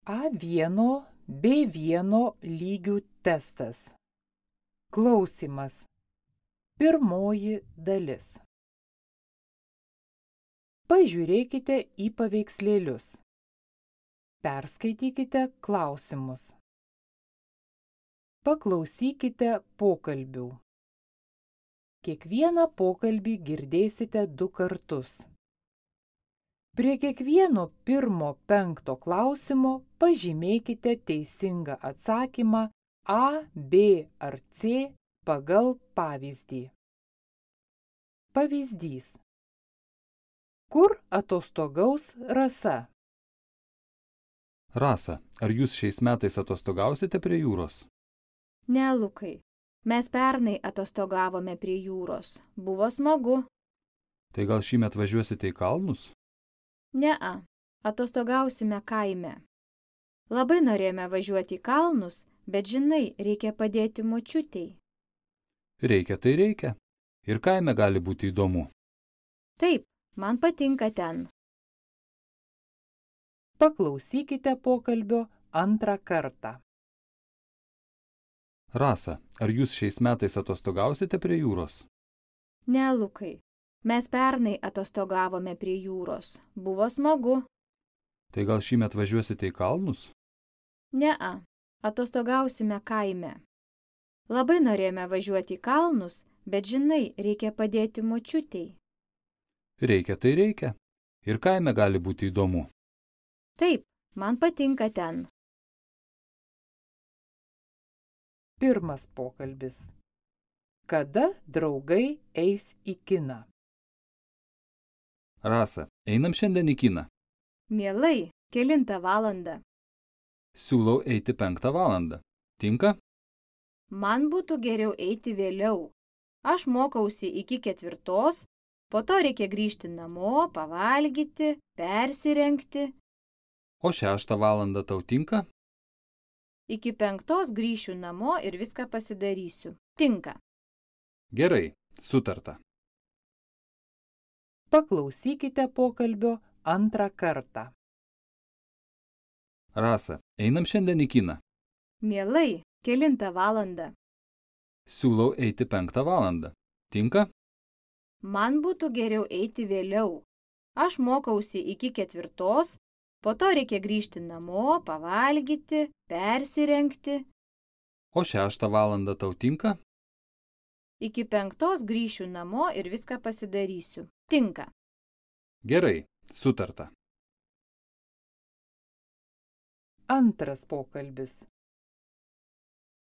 A1, B1 lygių testas. Klausimas. Pirmoji dalis. Pažiūrėkite į paveikslėlius. Perskaitykite klausimus. Paklausykite pokalbių. Kiekvieną pokalbį girdėsite 2 kartus. Prie kiekvieno 1-5 klausimo pažymėkite teisingą atsakymą A, B ar C pagal pavyzdį. Pavyzdys. Kur atostogaus Rasa? Rasa, ar jūs šiais metais atostogausite prie jūros? Ne, Lukai. Mes pernai atostogavome prie jūros. Buvo smagu. Tai gal šįmet važiuosite į kalnus? Ne-a. Atostogausime kaime. Labai norėjome važiuoti į kalnus, bet žinai, reikia padėti močiutei. Reikia, tai reikia. Ir kaime gali būti įdomu. Taip, man patinka ten. Paklausykite pokalbio 2 kartą. Rasa, ar jūs šiais metais atostogausite prie jūros? Ne, Lukai. Mes pernai atostogavome prie jūros. Buvo smagu. Tai gal šįmet važiuosite į kalnus? Ne-a. Atostogausime kaime. Labai norėjome važiuoti į kalnus, bet žinai, reikia padėti močiutei. Reikia, tai reikia. Ir kaime gali būti įdomu. Taip, man patinka ten. Pirmas pokalbis. Kada draugai eis į kiną? Rasa, einam šiandien į kiną. Mielai, 9 valandą. Siūlau eiti 5 valandą. Tinka? Man būtų geriau eiti vėliau. Aš mokausi iki 4, po to reikia grįžti namo, pavalgyti, persirengti. O 6 valandą tau tinka? Iki 5 grįšiu namo ir viską pasidarysiu. Tinka. Gerai, sutarta. Paklausykite pokalbio 2 kartą. Rasa, einam šiandien į kiną. Mielai, 9 valandą. Siūlau eiti 5 valandą. Tinka? Man būtų geriau eiti vėliau. Aš mokausi iki 4, po to reikia grįžti namo, pavalgyti, persirengti. O 6 valandą tau tinka? Iki 5 grįšiu namo ir viską pasidarysiu. Tinka. Gerai, sutarta. Antras pokalbis.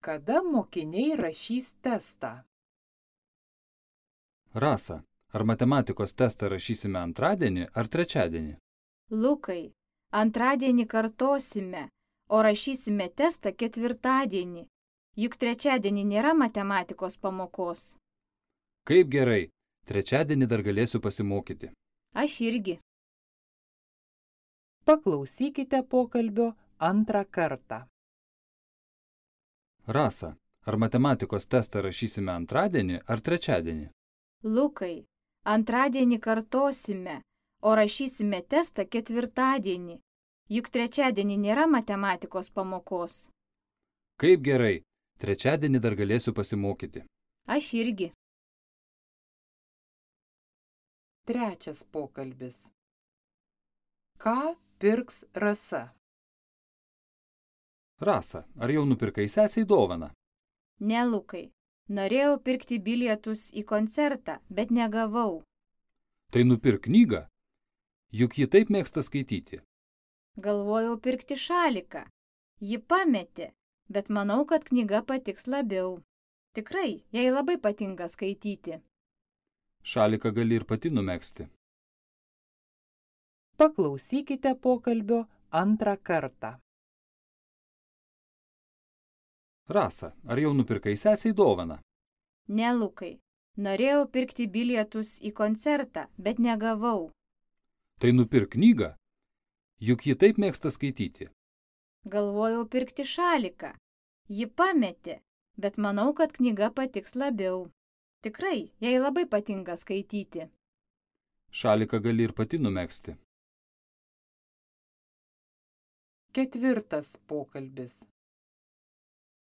Kada mokiniai rašys testą? Rasa, ar matematikos testą rašysime antradienį ar trečiadienį? Lukai, antradienį kartosime, o rašysime testą 4. Juk trečiadienį nėra matematikos pamokos. Kaip gerai, trečiadienį dar galėsiu pasimokyti. Aš irgi. Paklausykite pokalbio 2 kartą. Rasa, ar matematikos testą rašysime antradienį ar trečiadienį? Lukai, antradienį kartosime, o rašysime testą 4. Juk trečiadienį nėra matematikos pamokos. Kaip gerai, trečiadienį dar galėsiu pasimokyti. Aš irgi. Trečias pokalbis. Ką pirks Rasa? Rasa, ar jau nupirkai sesiai dovaną? Ne, Lukai. Norėjau pirkti bilietus į koncertą, bet negavau. Tai nupirk knygą. Juk ji taip mėgsta skaityti. Galvojau pirkti šaliką. Ji pametė, bet manau, kad knyga patiks labiau. Tikrai, jai labai patinka skaityti. Šaliką gali ir pati numegzti. Paklausykite pokalbio 2 kartą. Rasa, ar jau nupirkai sesiai dovaną? Ne, Lukai. Norėjau pirkti bilietus į koncertą, bet negavau. Tai nupirk knygą. Juk ji taip mėgsta skaityti. Galvojau pirkti šaliką. Ji pametė, bet manau, kad knyga patiks labiau. Tikrai, jai labai patinka skaityti. Šaliką gali ir pati numegzti. Ketvirtas pokalbis.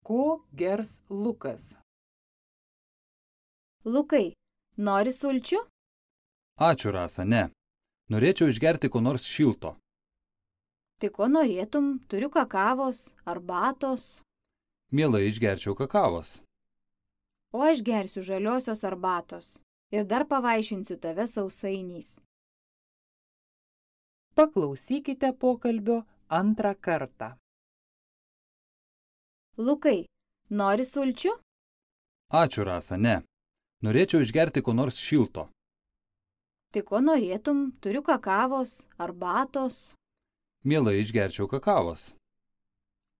Ko gers Lukas? Lukai, nori sulčių? Ačiū, Rasa, ne. Norėčiau išgerti ko nors šilto. Tai ko norėtum? Turiu kakavos, arbatos. Mielai išgerčiau kakavos. O aš gersiu žaliosios arbatos. Ir dar pavaišinsiu tave sausainiais. Paklausykite pokalbio antrą kartą. Lukai, nori sulčių? Ačiū, Rasa, ne. Norėčiau išgerti ko nors šilto. Tai ko norėtum? Turiu kakavos, arbatos. Mielai išgerčiau kakavos.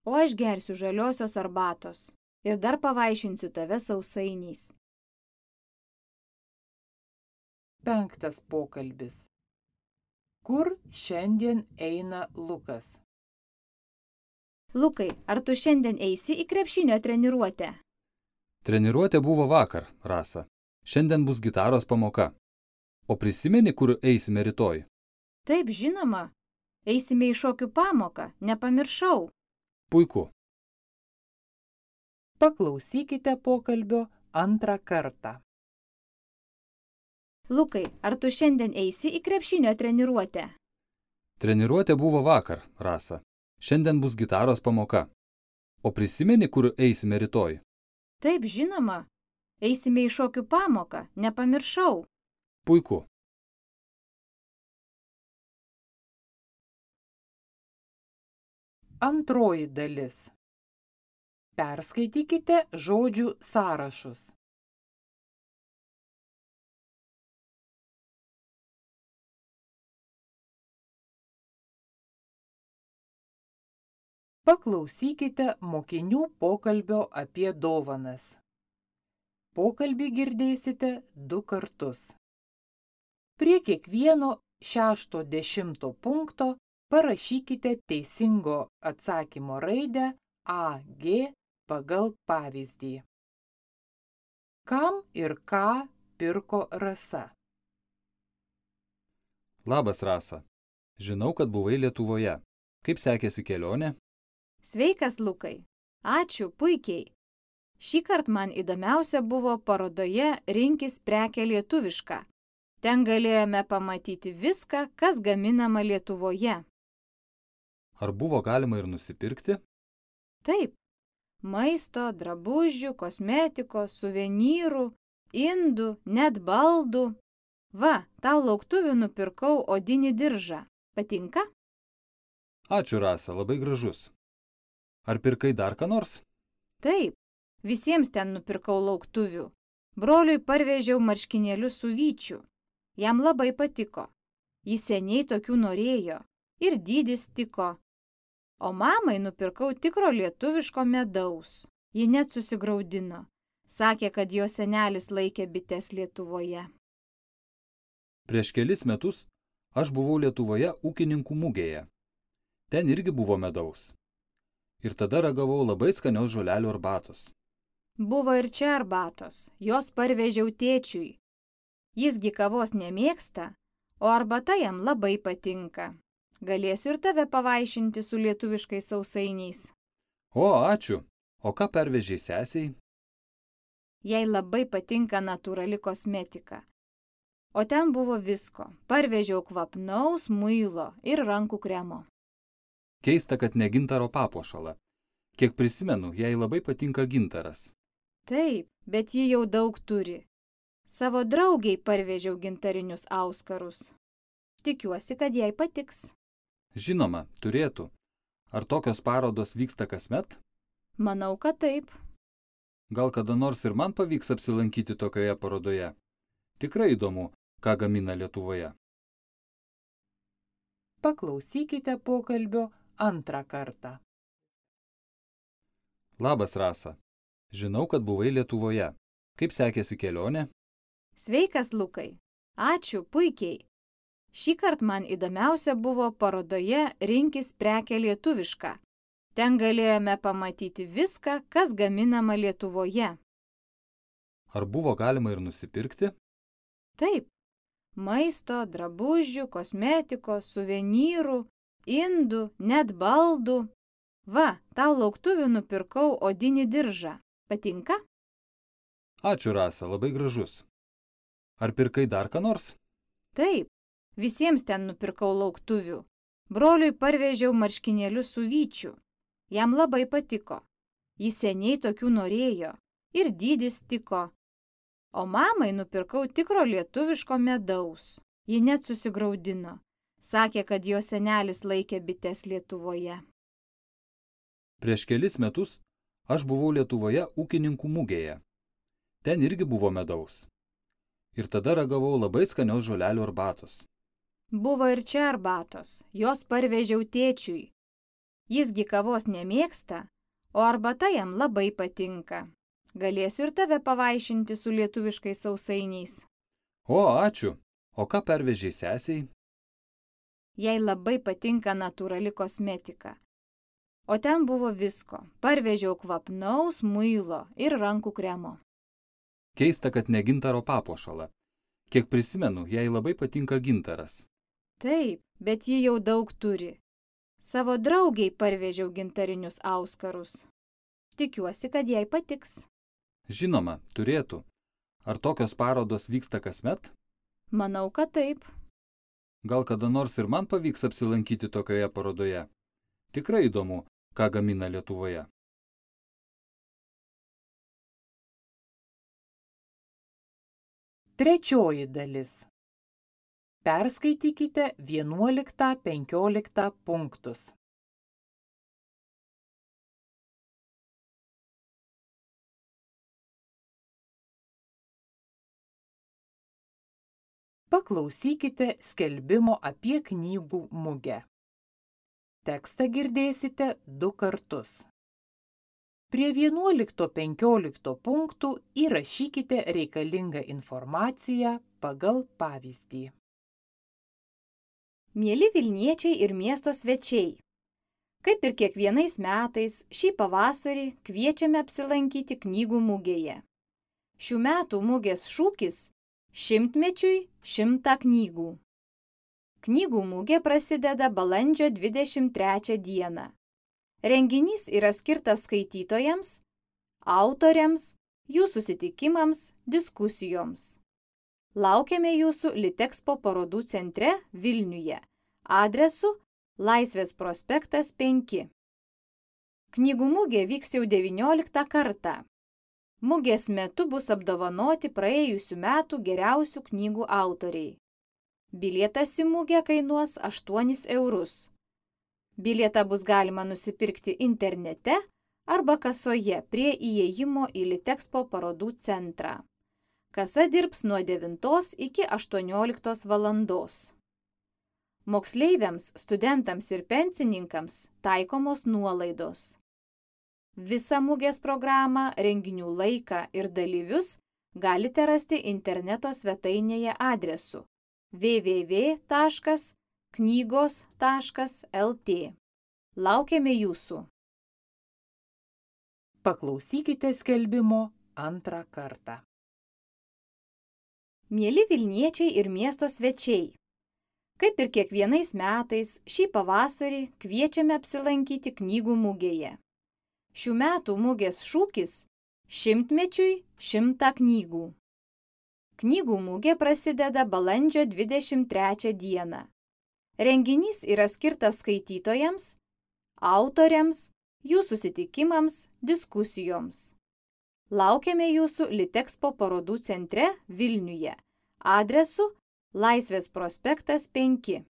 O aš gersiu žaliosios arbatos. Ir dar pavaišinsiu tave sausainiais. Penktas pokalbis. Kur šiandien eina Lukas? Lukai, ar tu šiandien eisi į krepšinio treniruotę? Treniruotė buvo vakar, Rasa. Šiandien bus gitaros pamoka. O prisimeni, kur eisime rytoj? Taip, žinoma. Eisime į šokių pamoką, nepamiršau. Puiku. Paklausykite pokalbio antrą kartą. Lukai, ar tu šiandien eisi į krepšinio treniruotę? Treniruotė buvo vakar, Rasa. Šiandien bus gitaros pamoka. O prisimeni, kur eisime rytoj? Taip, žinoma. Eisime į šokių pamoką, nepamiršau. Puiku. Antroji dalis. Perskaitykite žodžių sąrašus. Paklausykite mokinių pokalbio apie dovanas. Pokalbį girdėsite 2 kartus. Prie kiekvieno 6-10 punkto parašykite teisingo atsakymo raidę A, G pagal pavyzdį. Kam ir ką pirko Rasa? Labas, Rasa. Žinau, kad buvai Lietuvoje. Kaip sekėsi kelionė? Sveikas, Lukai. Ačiū, puikiai. Šįkart man įdomiausia buvo parodoje Rinkis prekę lietuvišką. Ten galėjome pamatyti viską, kas gaminama Lietuvoje. Ar buvo galima ir nusipirkti? Taip. Maisto, drabužių, kosmetikos, suvenyrų, indų, net baldų. Va, tau lauktuvių nupirkau odinį diržą. Patinka? Ačiū, Rasa, labai gražus. Ar pirkai dar ką nors? Taip. Visiems ten nupirkau lauktuvių. Broliui parvežiau marškinėlius su vyčiu. Jam labai patiko. Jis seniai tokių norėjo. Ir dydis tiko. O mamai nupirkau tikro lietuviško medaus. Ji net susigraudino. Sakė, kad jo senelis laikė bites Lietuvoje. Prieš kelis metus aš buvau Lietuvoje ūkininkų mugėje. Ten irgi buvo medaus. Ir tada ragavau labai skanios žolelių arbatos. Buvo ir čia arbatos. Jos parvežiau tėčiui. Jisgi kavos nemėgsta, o arbata jam labai patinka. Galėsiu ir tave pavaišinti su lietuviškais sausainiais. O, ačiū. O ką pervežiai sesiai? Jai labai patinka natūrali kosmetika. O ten buvo visko. Parvežiau kvapnaus muilo ir rankų kremo. Keista, kad ne gintaro papuošalą. Kiek prisimenu, jai labai patinka gintaras. Taip, bet ji jau daug turi. Savo draugiai parvežiau gintarinius auskarus. Tikiuosi, kad jai patiks. Žinoma, turėtų. Ar tokios parodos vyksta kasmet? Manau, kad taip. Gal kada nors ir man pavyks apsilankyti tokioje parodoje? Tikrai įdomu, ką gamina Lietuvoje. Paklausykite pokalbio antrą kartą. Labas, Rasa. Žinau, kad buvai Lietuvoje. Kaip sekėsi kelionė? Sveikas, Lukai. Ačiū, puikiai. Šįkart man įdomiausia buvo parodoje Rinkis prekę lietuvišką. Ten galėjome pamatyti viską, kas gaminama Lietuvoje. Ar buvo galima ir nusipirkti? Taip. Maisto, drabužių, kosmetikos, suvenyrų, indų, net baldų. Va, tau lauktuvių nupirkau odinį diržą. Patinka? Ačiū, Rasa, labai gražus. Ar pirkai dar ką nors? Taip, visiems ten nupirkau lauktuvių. Broliui parvežiau marškinėlius su vyčiu. Jam labai patiko. Jis seniai tokių norėjo. Ir dydis tiko. O mamai nupirkau tikro lietuviško medaus. Ji net susigraudino. Sakė, kad jo senelis laikė bites Lietuvoje. Prieš kelis metus aš buvau Lietuvoje ūkininkų mugėje. Ten irgi buvo medaus. Ir tada ragavau labai skanios žolelių arbatos. Buvo ir čia arbatos. Jos parvežiau tėčiui. Jisgi kavos nemėgsta, o arbata jam labai patinka. Galėsiu ir tave pavaišinti su lietuviškais sausainiais. O, ačiū. O ką pervežiai sesiai? Jai labai patinka natūrali kosmetika. O ten buvo visko. Parvežiau kvapnaus muilo ir rankų kremo. Keista, kad ne gintaro papuošalą. Kiek prisimenu, jai labai patinka gintaras. Taip, bet ji jau daug turi. Savo draugiai parvežiau gintarinius auskarus. Tikiuosi, kad jai patiks. Žinoma, turėtų. Ar tokios parodos vyksta kasmet? Manau, kad taip. Gal kada nors ir man pavyks apsilankyti tokioje parodoje. Tikrai įdomu, ką gamina Lietuvoje. Trečioji dalis. Perskaitykite 11-15 punktus. Paklausykite skelbimo apie knygų mugę. Tekstą girdėsite 2 kartus. Prie 11-15 punktų įrašykite reikalingą informaciją pagal pavyzdį. Mieli Vilniečiai ir miesto svečiai, kaip ir kiekvienais metais, šį pavasarį kviečiame apsilankyti knygų mugėje. Šių metų mugės šūkis – 100-mečiui 100 knygų. Knygų mugė prasideda balandžio 23 dieną. Renginys yra skirtas skaitytojams, autoriams, jų susitikimams, diskusijoms. Laukiame jūsų Litexpo parodų centre Vilniuje, adresu Laisvės prospektas 5. Knygų mugė vyks jau 19 kartą. Mugės metu bus apdovanoti praėjusių metų geriausių knygų autoriai. Bilietas į mugę kainuos 8 eurus. Bilietą bus galima nusipirkti internete arba kasoje prie įėjimo į Litexpo parodų centrą. Kasa dirbs nuo 9 iki 18 valandos. Moksleiviams, studentams ir pensininkams taikomos nuolaidos. Visą mugės programą, renginių laiką ir dalyvius galite rasti interneto svetainėje adresu www.knygos.lt. Laukiame jūsų. Paklausykite skelbimo 2 kartą. Mieli Vilniečiai ir miesto svečiai, kaip ir kiekvienais metais, šį pavasarį kviečiame apsilankyti knygų mugėje. Šių metų mugės šūkis – 100-mečiui 100 knygų. Knygų mugė prasideda balandžio 23 dieną. Renginys yra skirtas skaitytojams, autoriams, jų susitikimams, diskusijoms. Laukiame jūsų Litexpo parodų centre Vilniuje, adresu Laisvės prospektas 5.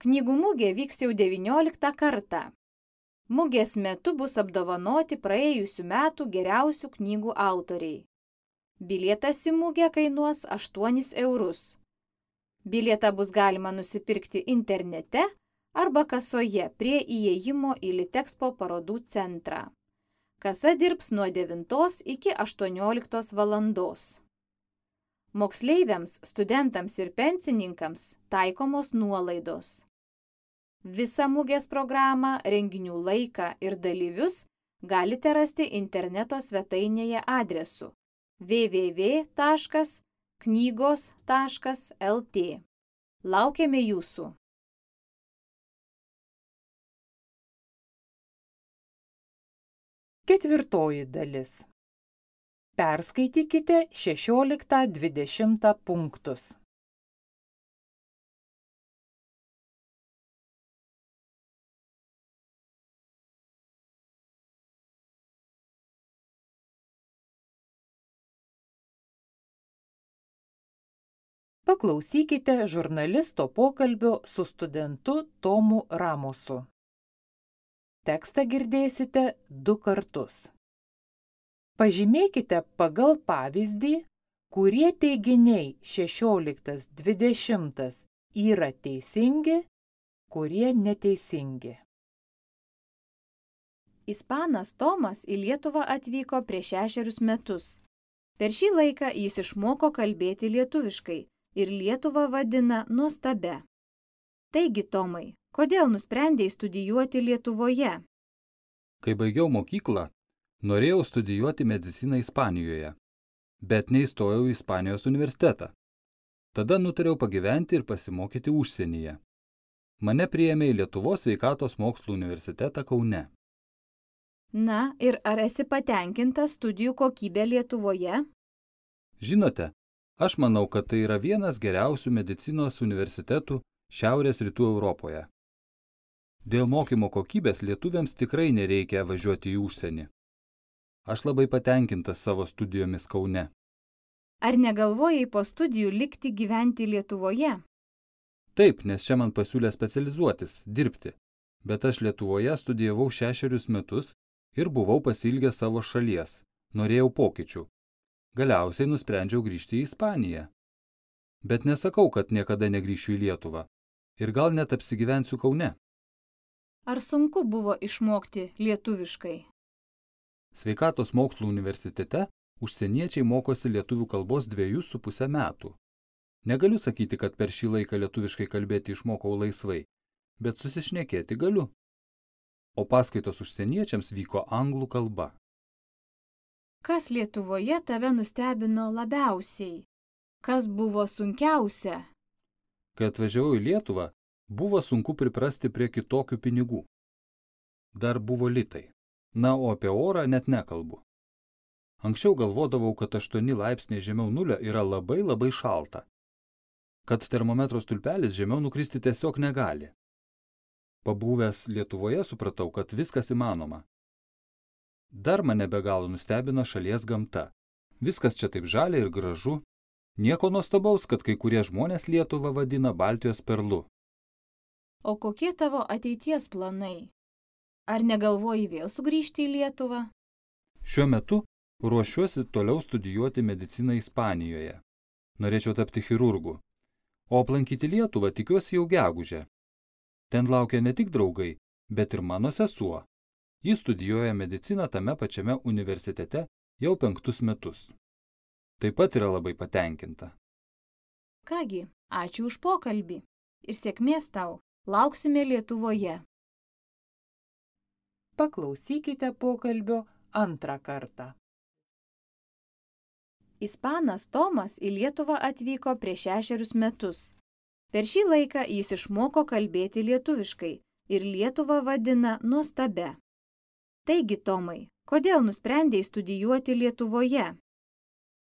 Knygų mugė vyks jau 19 kartą. Mugės metu bus apdovanoti praėjusių metų geriausių knygų autoriai. Bilietas į mugę kainuos 8 eurus. Bilietą bus galima nusipirkti internete arba kasoje prie įėjimo į Litexpo parodų centrą. Kasa dirbs nuo 9 iki 18 valandos. Moksleiviams, studentams ir pensininkams taikomos nuolaidos. Visą mugės programą, renginių laiką ir dalyvius galite rasti interneto svetainėje adresu www.knygos.lt. Laukiame jūsų. Ketvirtoji dalis. Perskaitykite 16-20 punktus. Paklausykite žurnalisto pokalbio su studentu Tomu Ramosu. Tekstą girdėsite 2 kartus. Pažymėkite pagal pavyzdį, kurie teiginiai 16-20 yra teisingi, kurie neteisingi. Ispanas Tomas į Lietuvą atvyko prieš 6 metus. Per šį laiką jis išmoko kalbėti lietuviškai ir Lietuvą vadina nuostabia. Taigi, Tomai, kodėl nusprendei studijuoti Lietuvoje? Kai baigiau mokyklą, norėjau studijuoti mediciną Ispanijoje, bet neįstojau į Ispanijos universitetą. Tada nutariau pagyventi ir pasimokyti užsienyje. Mane priėmė į Lietuvos sveikatos mokslų universitetą Kaune. Na, ir ar esi patenkintas studijų kokybė Lietuvoje? Žinote, aš manau, kad tai yra vienas geriausių medicinos universitetų Šiaurės rytų Europoje. Dėl mokymo kokybės lietuviams tikrai nereikia važiuoti į užsienį. Aš labai patenkintas savo studijomis Kaune. Ar negalvojai po studijų likti gyventi Lietuvoje? Taip, nes čia man pasiūlė specializuotis, dirbti. Bet aš Lietuvoje studijavau 6 metus ir buvau pasiilgęs savo šalies. Norėjau pokyčių. Galiausiai nusprendžiau grįžti į Ispaniją. Bet nesakau, kad niekada negrįšiu į Lietuvą. Ir gal net apsigyvensiu Kaune. Ar sunku buvo išmokti lietuviškai? Sveikatos mokslų universitete užsieniečiai mokosi lietuvių kalbos 2,5 metų. Negaliu sakyti, kad per šį laiką lietuviškai kalbėti išmokau laisvai, bet susišnekėti galiu. O paskaitos užsieniečiams vyko anglų kalba. Kas Lietuvoje tave nustebino labiausiai? Kas buvo sunkiausia? Kai atvažiavau į Lietuvą, buvo sunku priprasti prie kitokių pinigų. Dar buvo litai. Na, o apie orą net nekalbu. Anksčiau galvodavau, kad 8 laipsniai žemiau nulio yra labai šalta. Kad termometro stulpelis žemiau nukristi tiesiog negali. Pabuvęs Lietuvoje supratau, kad viskas įmanoma. Dar mane be galo nustebino šalies gamta. Viskas čia taip žalia ir gražu. Nieko nuostabaus, kad kai kurie žmonės Lietuvą vadina Baltijos perlu. O kokie tavo ateities planai? Ar negalvoji vėl sugrįžti į Lietuvą? Šiuo metu ruošiuosi toliau studijuoti mediciną Ispanijoje. Norėčiau tapti chirurgu. O aplankyti Lietuvą tikiuosi jau gegužę. Ten laukia ne tik draugai, bet ir mano sesuo. Ji studijuoja mediciną tame pačiame universitete jau 5 metus. Taip pat yra labai patenkinta. Kągi, ačiū už pokalbį ir sėkmės tau. Lauksime Lietuvoje. Paklausykite pokalbio 2 kartą. Ispanas Tomas į Lietuvą atvyko prieš 6 metus. Per šį laiką jis išmoko kalbėti lietuviškai ir Lietuvą vadina nuostabia. Taigi, Tomai, kodėl nusprendei studijuoti Lietuvoje?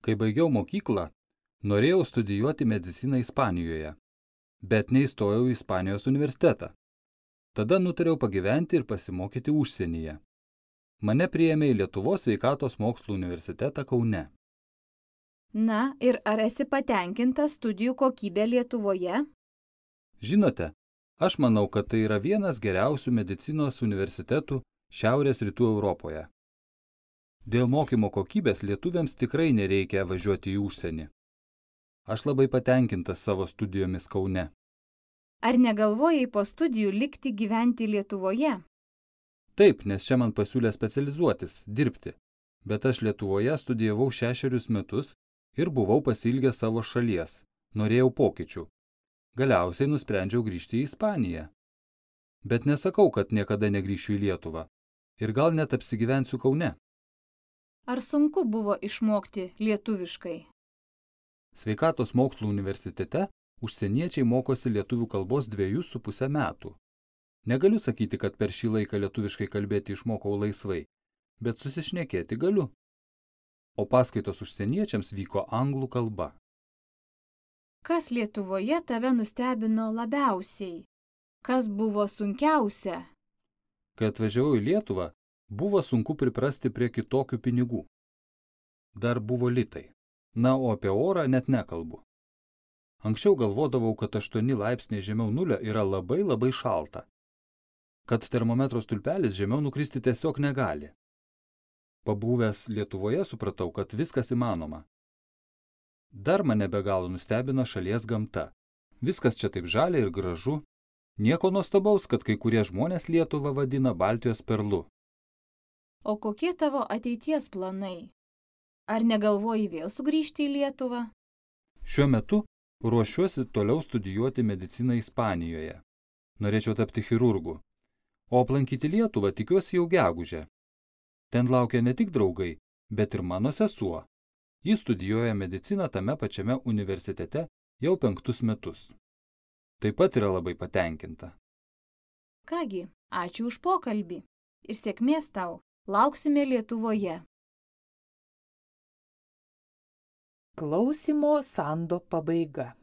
Kai baigiau mokyklą, norėjau studijuoti mediciną Ispanijoje, bet neįstojau į Ispanijos universitetą. Tada nutariau pagyventi ir pasimokyti užsienyje. Mane priėmė į Lietuvos sveikatos mokslų universitetą Kaune. Na, ir ar esi patenkintas studijų kokybė Lietuvoje? Žinote, aš manau, kad tai yra vienas geriausių medicinos universitetų Šiaurės rytų Europoje. Dėl mokymo kokybės lietuviams tikrai nereikia važiuoti į užsienį. Aš labai patenkintas savo studijomis Kaune. Ar negalvojai po studijų likti gyventi Lietuvoje? Taip, nes čia man pasiūlė specializuotis, dirbti. Bet aš Lietuvoje studijavau 6 metus ir buvau pasiilgęs savo šalies. Norėjau pokyčių. Galiausiai nusprendžiau grįžti į Ispaniją. Bet nesakau, kad niekada negrįšiu į Lietuvą. Ir gal net apsigyvensiu Kaune. Ar sunku buvo išmokti lietuviškai? Sveikatos mokslų universitete užsieniečiai mokosi lietuvių kalbos 2,5 metų. Negaliu sakyti, kad per šį laiką lietuviškai kalbėti išmokau laisvai, bet susišnekėti galiu. O paskaitos užsieniečiams vyko anglų kalba. Kas Lietuvoje tave nustebino labiausiai? Kas buvo sunkiausia? Kai atvažiavau į Lietuvą, buvo sunku priprasti prie kitokių pinigų. Dar buvo litai. Na, o apie orą net nekalbu. Anksčiau galvodavau, kad 8 laipsniai žemiau nulio yra labai šalta. Kad termometro stulpelis žemiau nukristi tiesiog negali. Pabuvęs Lietuvoje supratau, kad viskas įmanoma. Dar mane be galo nustebino šalies gamta. Viskas čia taip žalia ir gražu. Nieko nuostabaus, kad kai kurie žmonės Lietuvą vadina Baltijos perlu. O kokie tavo ateities planai? Ar negalvoji vėl sugrįžti į Lietuvą? Šiuo metu ruošiuosi toliau studijuoti mediciną Ispanijoje. Norėčiau tapti chirurgu. O aplankyti Lietuvą tikiuosi jau gegužę. Ten laukia ne tik draugai, bet ir mano sesuo. Ji studijuoja mediciną tame pačiame universitete jau 5 metus. Taip pat yra labai patenkinta. Kągi, ačiū už pokalbį ir sėkmės tau. Lauksime Lietuvoje. Klausymo sando pabaiga.